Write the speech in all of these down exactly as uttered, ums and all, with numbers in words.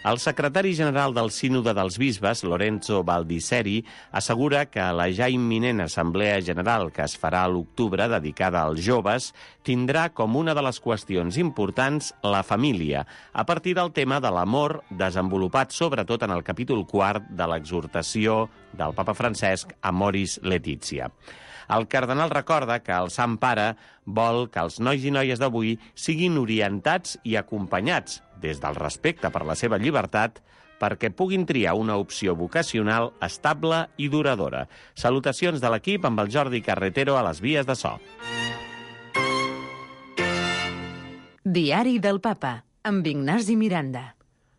El secretari general del Sínode dels Bisbes, Lorenzo Baldisseri, assegura que la ja imminent Assemblea General que es farà a l'octubre, dedicada als joves, tindrà com una de les qüestions importants la família, a partir del tema de l'amor desenvolupat sobretot en el capítol quart de l'exhortació del papa Francesc Amoris Laetitia. El cardenal recorda que el Sant Pare vol que els nois i noies d'avui siguin orientats i acompanyats des del respecte per la seva llibertat perquè puguin triar una opció vocacional estable i duradora. Salutacions de l'equip amb el Jordi Carretero a les vies de so. Diari del Papa, amb Ignasi Miranda.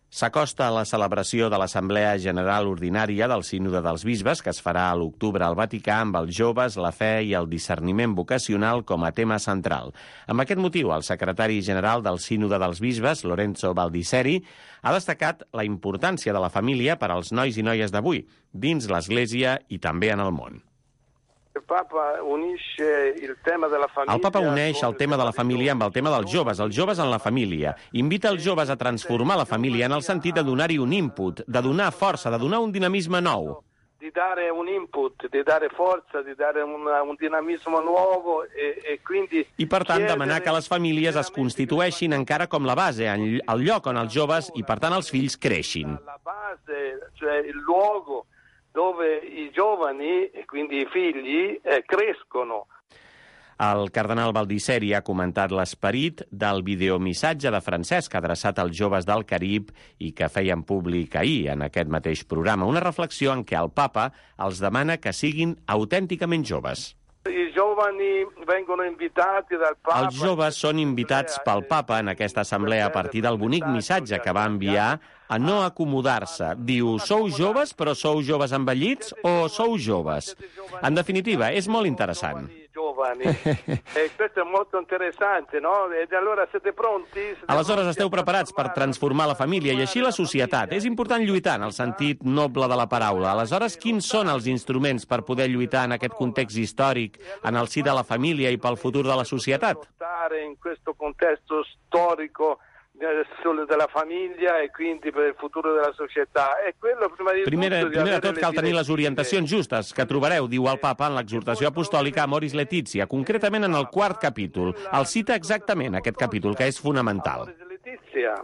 S'acosta la celebració de l'Assemblea General Ordinària del Sínode dels Bisbes, que es farà a l'octubre al Vaticà amb els joves, la fe i el discerniment vocacional com a tema central. Amb aquest motiu, el secretari general del Sínode dels Bisbes, Lorenzo Baldisseri, ha destacat la importància de la família per als nois i noies d'avui, dins l'Església i també en el món. El Papa unisce il tema della famiglia. El Papa uneix el tema de la família amb el tema dels joves, els joves en la família. Invita els joves a transformar la família en el sentit de donar-hi un input, de donar força, de donar un dinamisme nou. Di dare un input, di dare forza, di dare una, un dinamismo nuovo e, e quindi... I per tant demanar que les famílies es constitueixin encara com la base, el lloc on els joves i per tant els fills creixin. La base, cioè il luogo dove i giovani, e quindi i figli, eh, crescono. El cardenal Baldisseri ha comentat l'esperit del videomissatge de Francesc adreçat als joves del Carib i que feien públic ahir en aquest mateix programa. Una reflexió en què el papa els demana que siguin autènticament joves. I giovani vengono invitati dal Papa. Els joves són invitats pel papa en aquesta assemblea a partir del bonic missatge que va enviar a no acomodar-se. Diu, sou joves però sou joves envellits o sou joves? En definitiva, és molt interessant. Giovani. E questo è molto interessante, no? E allora siete pronti? Aleshores esteu preparats per transformar la família i així la societat. És important lluitar en el sentit noble de la paraula. Aleshores, quins són els instruments per poder lluitar en aquest context històric, en el si de la família i pel futur de la societat? In questo contesto storico della famiglia e quindi per il futuro della società. E quello prima di primer, tutto primer de tot cal tenir les orientacions justes que trobareu, diu el papa, en l'exhortació apostòlica Amoris Laetitia, concretament en el quart capítol. El cita exactament aquest capítol, que és fonamental. Amoris Laetitia.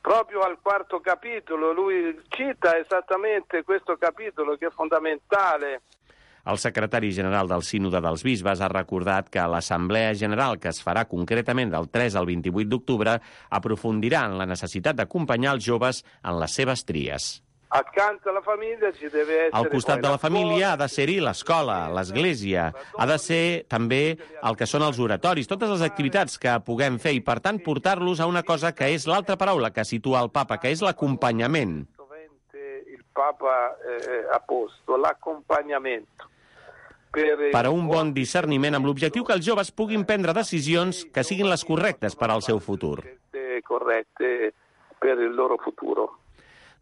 Proprio al quarto capitolo lui cita esattamente questo capitolo che è fondamentale. El secretari general del Sínode dels Bisbes ha recordat que l'Assemblea General, que es farà concretament del tres al vint-i-vuit d'octubre, aprofundirà en la necessitat d'acompanyar els joves en les seves tries. Accanto alla famiglia ci deve essere... Al costat de la família ha de ser-hi l'escola, l'església, ha de ser també el que són els oratoris, totes les activitats que puguem fer i, per tant, portar-los a una cosa que és l'altra paraula que situa el papa, que és l'acompanyament. Il papa eh, ha posto l'acompagnamento. Per a un bon discerniment amb l'objectiu que els joves puguin prendre decisions que siguin les correctes per al seu futur. Correcte per il loro futuro.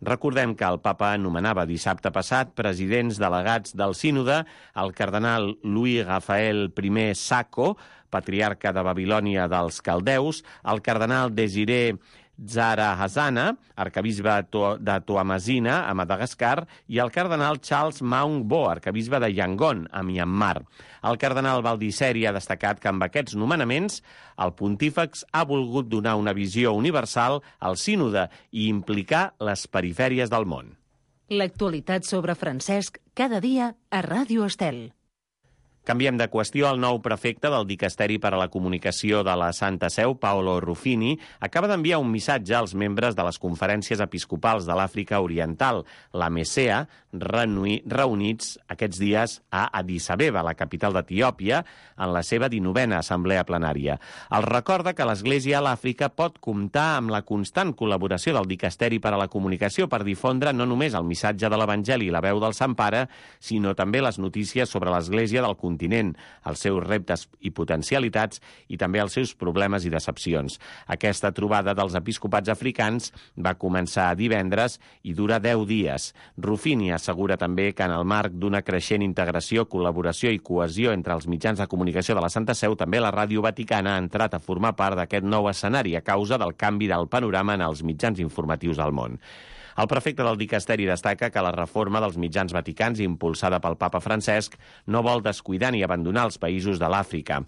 Recordem que el papa anomenava dissabte passat presidents delegats del sínode el cardenal Louis Rafael I Sacco, patriarca de Babilònia dels caldeus, el cardenal Desiré Zara Hasana, arcabisbe de Toamasina, a Madagascar, i el cardenal Charles Maung Bo, arcabisbe de Yangon, a Myanmar. El cardenal Baldisseri ha destacat que amb aquests nomenaments el pontífex ha volgut donar una visió universal al sínode i implicar les perifèries del món. L'actualitat sobre Francesc cada dia a Ràdio Estel. Canviem de qüestió. El nou prefecte del Dicasteri per a la Comunicació de la Santa Seu, Paolo Ruffini, acaba d'enviar un missatge als membres de les conferències episcopals de l'Àfrica Oriental, la MESEA, reunits aquests dies a Addis Abeba, la capital d'Etiòpia, en la seva dinovena assemblea plenària. Els recorda que l'Església a l'Àfrica pot comptar amb la constant col·laboració del Dicasteri per a la Comunicació per difondre no només el missatge de l'Evangeli i la veu del Sant Pare, sinó també les notícies sobre l'Església del continent continent, els seus reptes i potencialitats i també els seus problemes i decepcions. Aquesta trobada dels episcopats africans va començar divendres i dura deu dies. Ruffini assegura també que en el marc d'una creixent integració, col·laboració i cohesió entre els mitjans de comunicació de la Santa Seu, també la Ràdio Vaticana ha entrat a formar part d'aquest nou escenari a causa del canvi del panorama en els mitjans informatius al món. El prefecte del dicasteri destaca que la reforma dels mitjans vaticans, impulsada pel papa Francesc, no vol descuidar ni abandonar els països de l'Àfrica.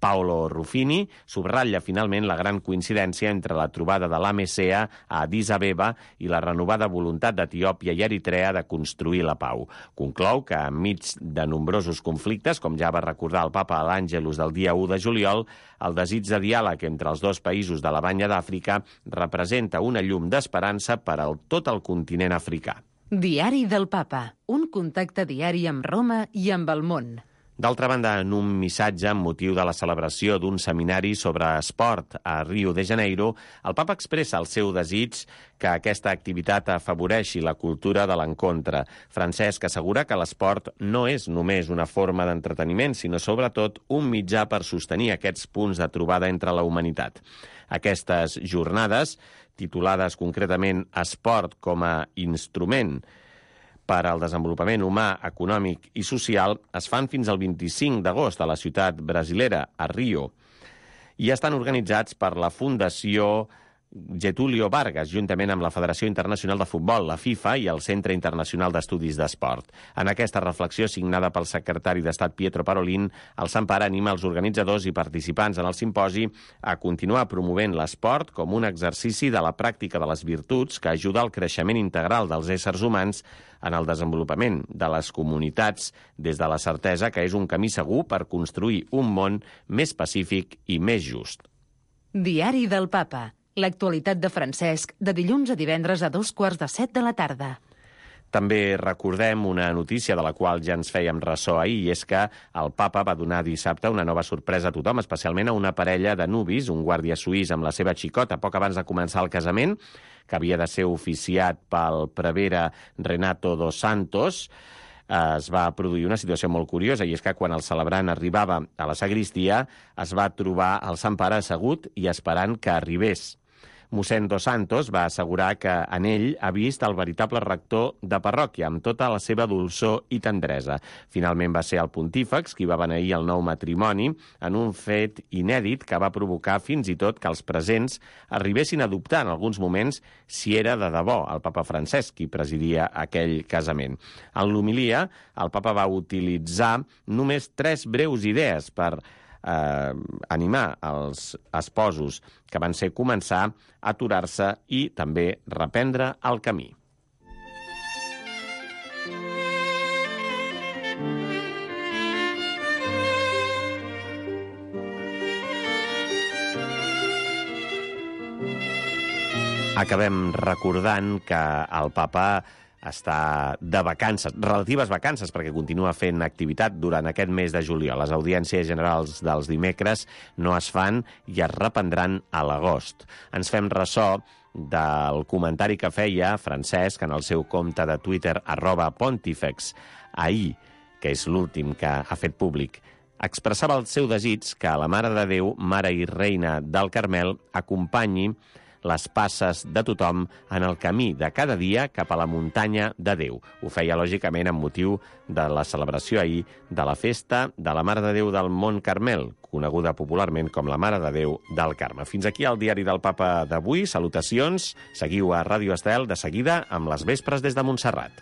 Paolo Ruffini subratlla finalment la gran coincidència entre la trobada de l'A M C A a Addis Abeba i la renovada voluntat d'Etiòpia i Eritrea de construir la pau. Conclou que, enmig de nombrosos conflictes, com ja va recordar el papa a l'Àngelus del dia u de juliol, el desig de diàleg entre els dos països de la Banya d'Àfrica representa una llum d'esperança per a tot el continent africà. Diari del Papa, un contacte diari amb Roma i amb el món. D'altra banda, en un missatge amb motiu de la celebració d'un seminari sobre esport a Rio de Janeiro, el papa expressa el seu desig que aquesta activitat afavoreixi la cultura de l'encontre. Francesc assegura que l'esport no és només una forma d'entreteniment, sinó sobretot un mitjà per sostenir aquests punts de trobada entre la humanitat. Aquestes jornades, titulades concretament Esport com a instrument per al desenvolupament humà, econòmic i social, es fan fins al vint-i-cinc d'agost a la ciutat brasilera, a Rio, i estan organitzats per la Fundació Getúlio Vargas, juntament amb la Federació Internacional de Futbol, la FIFA, i el Centre Internacional d'Estudis d'Esport. En aquesta reflexió, signada pel secretari d'Estat Pietro Parolin, el Sant Pare anima els organitzadors i participants en el simposi a continuar promovent l'esport com un exercici de la pràctica de les virtuts que ajuda al creixement integral dels éssers humans en el desenvolupament de les comunitats des de la certesa que és un camí segur per construir un món més pacífic i més just. Diari del Papa. L'actualitat de Francesc, de dilluns a divendres a dos quarts de set de la tarda. També recordem una notícia de la qual ja ens fèiem ressò ahir, i és que el papa va donar dissabte una nova sorpresa a tothom, especialment a una parella de nuvis, un guàrdia suís amb la seva xicota, poc abans de començar el casament, que havia de ser oficiat pel prevere Renato dos Santos. Es va produir una situació molt curiosa, i és que quan el celebrant arribava a la sagristia es va trobar el Sant Pare assegut i esperant que arribés. Mossèn Dos Santos va assegurar que en ell ha vist el veritable rector de parròquia, amb tota la seva dolçor i tendresa. Finalment va ser el pontífex qui va beneir el nou matrimoni en un fet inèdit que va provocar fins i tot que els presents arribessin a dubtar en alguns moments si era de debò el papa Francesc qui presidia aquell casament. En l'homilia, el papa va utilitzar només tres breus idees per Eh, animar els esposos, que van ser començar a aturar-se i també reprendre el camí. Acabem recordant que el papa està de vacances, relatives vacances, perquè continua fent activitat durant aquest mes de juliol. Les audiències generals dels dimecres no es fan i es reprendran a l'agost. Ens fem ressò del comentari que feia Francesc en el seu compte de Twitter, arroba pontifex, ahir, que és l'últim que ha fet públic. Expressava el seu desig que la Mare de Déu, Mare i Reina del Carmel, acompanyi les passes de tothom en el camí de cada dia cap a la muntanya de Déu. Ho feia, lògicament, amb motiu de la celebració ahir de la festa de la Mare de Déu del Mont Carmel, coneguda popularment com la Mare de Déu del Carme. Fins aquí el diari del Papa d'avui. Salutacions. Seguiu a Ràdio Estel de seguida amb les vespres des de Montserrat.